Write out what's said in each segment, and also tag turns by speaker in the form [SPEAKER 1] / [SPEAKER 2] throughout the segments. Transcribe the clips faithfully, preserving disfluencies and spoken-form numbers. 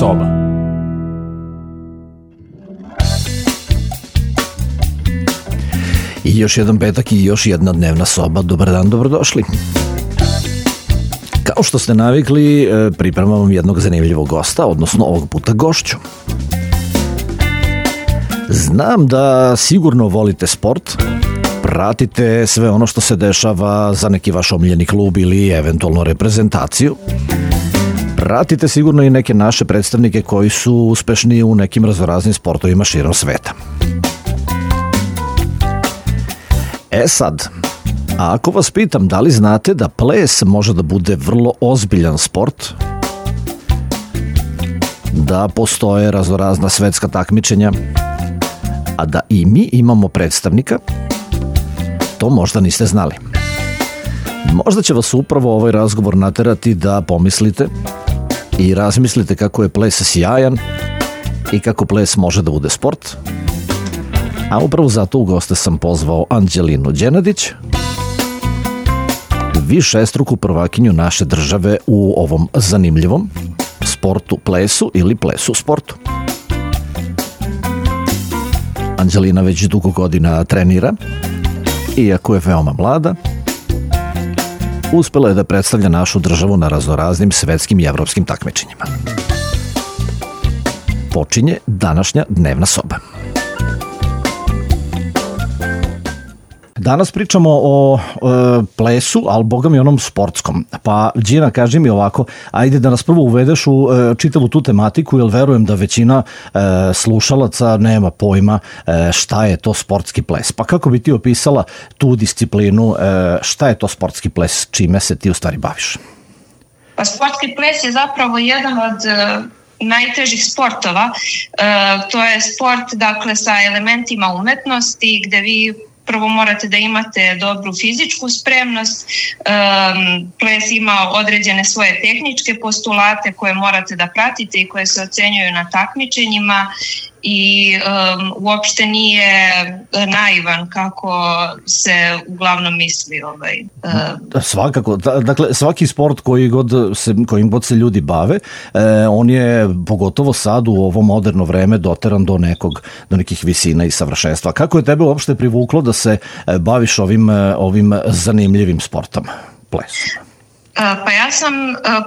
[SPEAKER 1] soba. I još jedan petak i još jedna dnevna soba. Dobar dan, dobrodošli. Kao što ste navikli, pripremam vam jednog zanimljivog gosta, odnosno ovog puta gošću. Znam da sigurno volite sport, pratite sve ono što se dešava za neki vaš omiljeni klub ili eventualno reprezentaciju. Pratite sigurno i neke naše predstavnike koji su uspešni u nekim raznoraznim sportovima širom sveta. E sad, ako vas pitam da li znate da ples može da bude vrlo ozbiljan sport, da postoje raznorazna svetska takmičenja, a da i mi imamo predstavnika, to možda niste znali. Možda će vas upravo ovaj razgovor naterati da pomislite i razmislite kako je ples sjajan i kako ples može da bude sport. A upravo zato u goste sam pozvao Anđelinu Đenadić, višestruku prvakinju naše države u ovom zanimljivom sportu plesu ili plesu sportu. Anđelina već dugo godina trenira, iako je veoma mlada, uspela je da predstavlja našu državu na raznoraznim svetskim i evropskim takmičenjima. Počinje današnja dnevna soba. Danas pričamo o e, plesu, ali boga mi onom sportskom. Pa, Đina, kaži mi ovako, ajde da nas prvo uvedeš u e, čitavu tu tematiku, jer verujem da većina e, slušalaca nema pojma e, šta je to sportski ples. Pa kako bi ti opisala tu disciplinu, e, šta je to sportski ples, čime se ti u stvari baviš?
[SPEAKER 2] Pa sportski ples je zapravo jedan od e, najtežih sportova. E, to je sport, dakle, sa elementima umetnosti, gde vi prvo morate da imate dobru fizičku spremnost, um, ples ima određene svoje tehničke postulate koje morate da pratite i koje se ocenjuju na takmičenjima i um, uopšte nije naivan kako se uglavnom misli. Ovaj, uh.
[SPEAKER 1] Svakako, dakle svaki sport koji god se, kojim god se ljudi bave, eh, on je pogotovo sad u ovo moderno vreme doteran do nekog, do nekih visina i savršenstva. Kako je tebe uopšte privuklo da se baviš ovim, ovim zanimljivim sportom, plesom?
[SPEAKER 2] Pa ja sam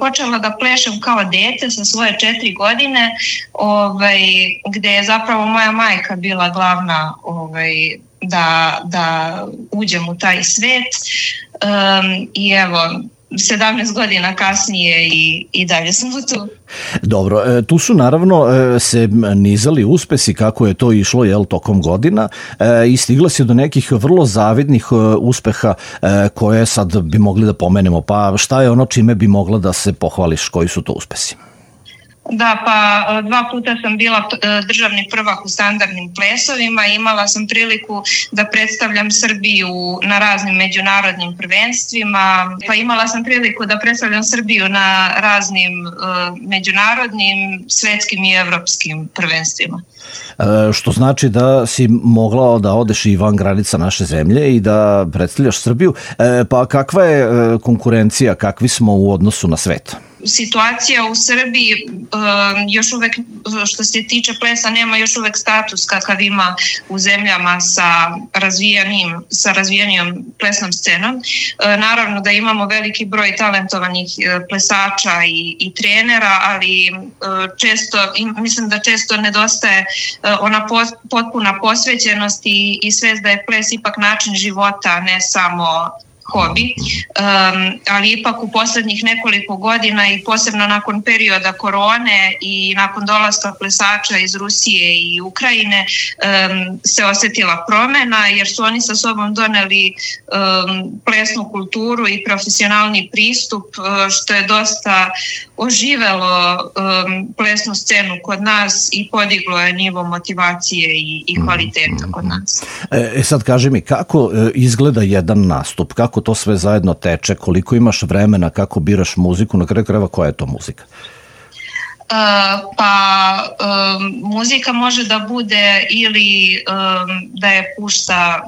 [SPEAKER 2] počela da plešem kao dete sa svoje četiri godine, ovaj, gde je zapravo moja majka bila glavna ovaj, da, da uđem u taj svet. Um, I evo, sedamnaest godina kasnije i, i dalje sam tu.
[SPEAKER 1] Dobro, e, tu su naravno e, se nizali uspesi kako je to išlo jel, tokom godina e, i stigla si do nekih vrlo zavidnih e, uspeha e, koje sad bi mogli da pomenemo. Pa šta je ono čime bi mogla da se pohvališ, koji su to uspesi?
[SPEAKER 2] Da, pa dva puta sam bila državni prvak u standardnim plesovima, imala sam priliku da predstavljam Srbiju na raznim međunarodnim prvenstvima, pa imala sam priliku da predstavljam Srbiju na raznim uh, međunarodnim, svetskim i evropskim prvenstvima.
[SPEAKER 1] E, što znači da si mogla da odeš i van granica naše zemlje i da predstavljaš Srbiju, e, pa kakva je konkurencija, kakvi smo u odnosu na svet?
[SPEAKER 2] Situacija u Srbiji još uvek, što se tiče plesa, nema još uvek status kakav ima u zemljama sa razvijenim, sa razvijenijom plesnom scenom. Naravno da imamo veliki broj talentovanih plesača i, i trenera, ali često, mislim da često nedostaje ona potpuna posvećenost i, i svest da je ples ipak način života, ne samo hobi, um, ali ipak u poslednjih nekoliko godina i posebno nakon perioda korone i nakon dolaska plesača iz Rusije i Ukrajine um, se osetila promena jer su oni sa sobom doneli um, plesnu kulturu i profesionalni pristup što je dosta oživelo um, plesnu scenu kod nas i podiglo je nivo motivacije i, i kvaliteta kod nas.
[SPEAKER 1] E sad kaži mi, kako izgleda jedan nastup, kako to sve zajedno teče, koliko imaš vremena, kako biraš muziku, na kraju krajeva koja je to muzika?
[SPEAKER 2] Uh, pa um, muzika može da bude ili um, da je pušta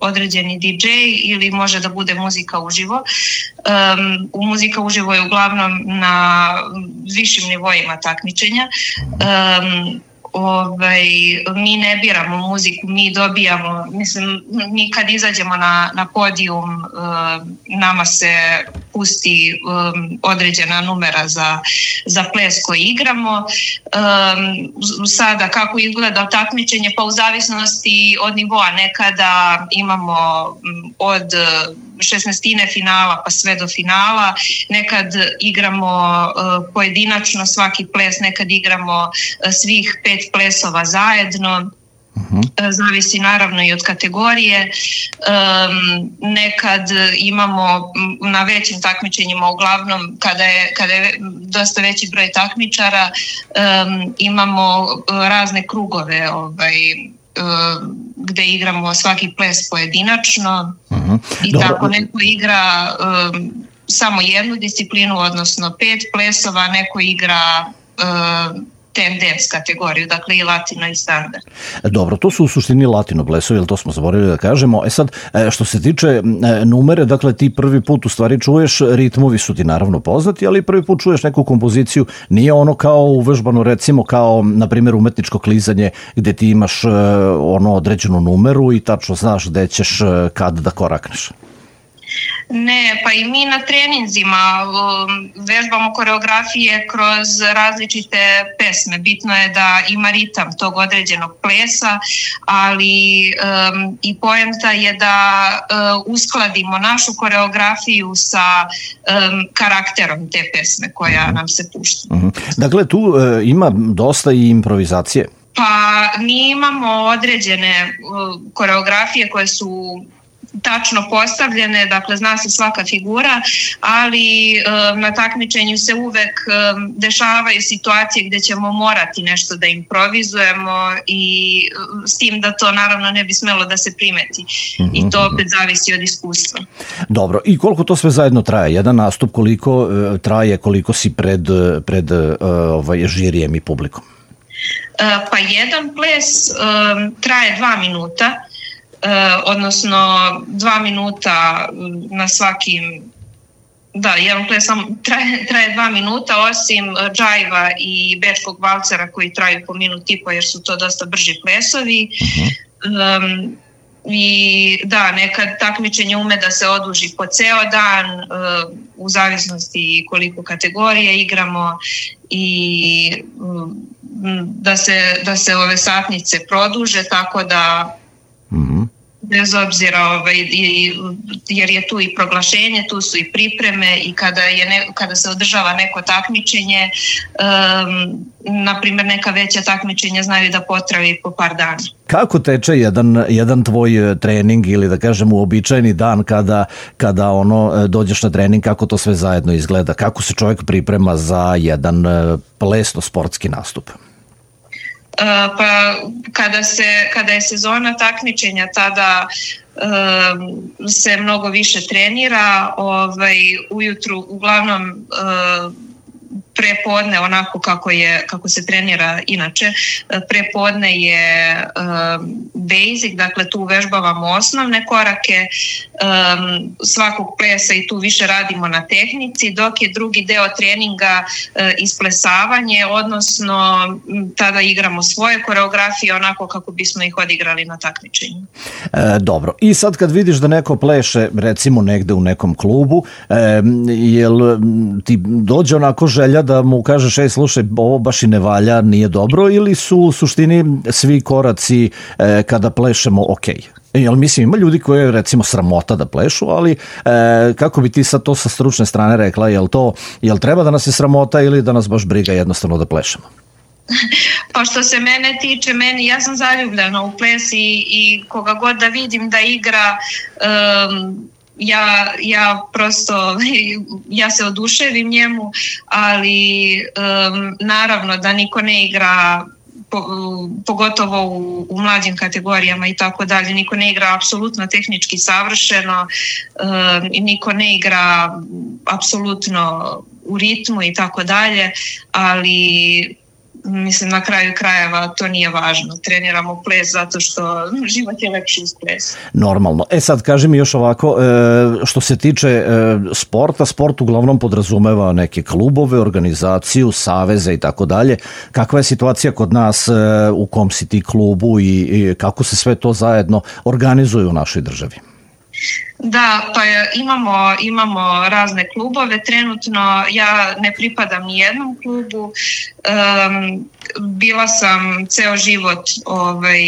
[SPEAKER 2] određeni di džej ili može da bude muzika uživo. Um, u muzika uživo je uglavnom na višim nivoima takmičenja. Um, Ovaj, mi ne biramo muziku, mi dobijamo, mislim, mi kad izađemo na, na podijum, uh, nama se pusti um, određena numera za, za ples koji igramo. Um, sada kako izgleda takmičenje, pa u zavisnosti od nivoa, nekada imamo od šesnaestine finala pa sve do finala, nekad igramo uh, pojedinačno svaki ples, nekad igramo uh, svih pet plesova zajedno. Uh-huh. Zavisi naravno i od kategorije. Um, nekad imamo na većim takmičenjima, uglavnom kada je, kada je dosta veći broj takmičara, um, imamo razne krugove ovaj, gde igramo svaki ples pojedinačno. Uh-huh. I Dobro. Tako neko igra um, samo jednu disciplinu, odnosno pet plesova, neko igra um, ten dance kategoriju, dakle i latino i standard.
[SPEAKER 1] Dobro, to su u suštini latino plesovi, jer to smo zaboravili da kažemo. E sad, što se tiče numere, dakle ti prvi put u stvari čuješ, ritmovi su ti naravno poznati, ali prvi put čuješ neku kompoziciju, nije ono kao uvežbano, recimo kao, na primjer, umetničko klizanje, gde ti imaš ono određenu numeru i tačno znaš gde ćeš kad da korakneš.
[SPEAKER 2] Ne, pa i mi na treninzima vežbamo koreografije kroz različite pesme. Bitno je da ima ritam tog određenog plesa, ali um, i poenta je da uh, uskladimo našu koreografiju sa um, karakterom te pesme koja nam se pušta.
[SPEAKER 1] Uh-huh. Dakle, tu uh, ima dosta i improvizacije.
[SPEAKER 2] Pa mi imamo određene uh, koreografije koje su tačno postavljene, dakle zna se svaka figura, ali um, na takmičenju se uvek um, dešavaju situacije gde ćemo morati nešto da improvizujemo i um, s tim da to naravno ne bi smelo da se primeti. Mm-hmm. I to opet zavisi od iskustva.
[SPEAKER 1] Dobro, i koliko to sve zajedno traje? Jedan nastup koliko uh, traje, koliko si pred, pred uh, ovaj, žirijem i publikom?
[SPEAKER 2] Uh, pa jedan ples um, traje dva minuta. Uh, odnosno dva minuta na svakim, da, jedan ples traje, traje dva minuta, osim džajva i bečkog valcera koji traju po minut i po, jer su to dosta brži plesovi. Um, i da, nekad takmičenje ume da se oduži po ceo dan, uh, u zavisnosti koliko kategorije igramo i um, da se, da se ove satnice produže, tako da mm-hmm. bez obzira, ovaj, jer je tu i proglašenje, tu su i pripreme i kada, je ne, kada se održava neko takmičenje, um, na primjer neka veća takmičenja znaju da potraju i po par dana.
[SPEAKER 1] Kako teče jedan, jedan tvoj trening ili da kažem uobičajeni dan kada, kada ono dođeš na trening, kako to sve zajedno izgleda? Kako se čovjek priprema za jedan plesno sportski nastup?
[SPEAKER 2] Uh, pa kada, se, kada je sezona takmičenja, tada uh, se mnogo više trenira, ovaj, ujutru uglavnom uh, prepodne, onako kako je, kako se trenira inače, prepodne je um, basic, dakle tu uvežbavamo osnovne korake um, svakog plesa i tu više radimo na tehnici, dok je drugi deo treninga uh, isplesavanje, odnosno tada igramo svoje koreografije onako kako bismo ih odigrali na takmičenju.
[SPEAKER 1] E, dobro, i sad kad vidiš da neko pleše recimo negde u nekom klubu, e, jel ti dođe onako želja da mu kažeš, ej slušaj, ovo baš i ne valja, nije dobro, ili su u suštini svi koraci e, kada plešemo ok? Jel, mislim, ima ljudi koji je recimo sramota da plešu, ali e, kako bi ti sad to sa stručne strane rekla, jel to, jel treba da nas je sramota ili da nas baš briga jednostavno da plešemo?
[SPEAKER 2] Pa što se mene tiče, meni, ja sam zaljubljena u ples i, i koga god da vidim da igra, um, Ja, ja prosto, ja se oduševim njemu, ali um, naravno da niko ne igra, po, pogotovo u, u mlađim kategorijama i tako dalje, niko ne igra apsolutno tehnički savršeno, um, i niko ne igra apsolutno u ritmu i tako dalje, ali mislim, na kraju krajeva to nije važno. Treniramo ples zato što život je lepši uz ples.
[SPEAKER 1] Normalno. E sad, kaži mi još ovako, što se tiče sporta, sport uglavnom podrazumeva neke klubove, organizaciju, saveze i tako dalje. Kakva je situacija kod nas, u kom si ti klubu i kako se sve to zajedno organizuje u našoj državi?
[SPEAKER 2] Da, pa imamo, imamo razne klubove. Trenutno ja ne pripadam ni jednom klubu. Um, bila sam ceo život ovaj,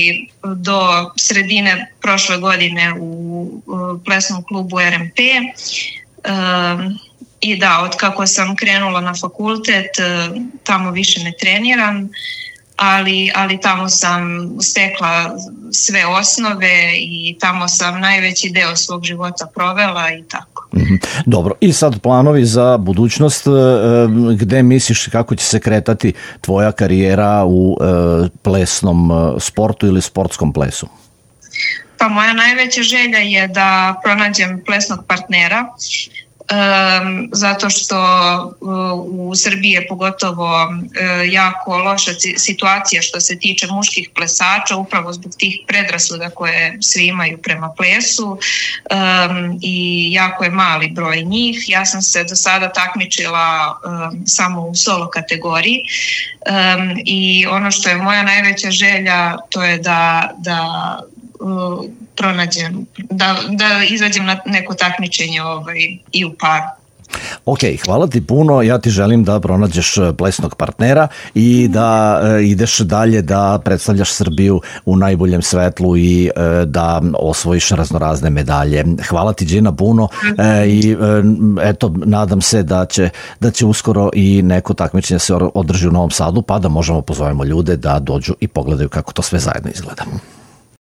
[SPEAKER 2] do sredine prošle godine u, u plesnom klubu R M P. Um, I da, od kako sam krenula na fakultet, tamo više ne treniram. Ali, ali tamo sam stekla sve osnove i tamo sam najveći deo svog života provela i tako.
[SPEAKER 1] Dobro, i sad planovi za budućnost, gde misliš kako će se kretati tvoja karijera u plesnom sportu ili sportskom plesu?
[SPEAKER 2] Pa moja najveća želja je da pronađem plesnog partnera. Um, zato što uh, u Srbiji je pogotovo uh, jako loša situacija što se tiče muških plesača, upravo zbog tih predrasuda koje svi imaju prema plesu, um, i jako je mali broj njih. Ja sam se do sada takmičila um, samo u solo kategoriji, um, i ono što je moja najveća želja to je da, da uh, pronađem, da, da izađem na neko takmičenje ovaj, i u paru.
[SPEAKER 1] Ok, hvala ti puno, ja ti želim da pronađeš plesnog partnera i da e, ideš dalje da predstavljaš Srbiju u najboljem svetlu i e, da osvojiš raznorazne medalje. Hvala ti, Đina, puno e, i e, eto, nadam se da će, da će uskoro i neko takmičenje se održi u Novom Sadu, pa da možemo pozovemo ljude da dođu i pogledaju kako to sve zajedno izgleda.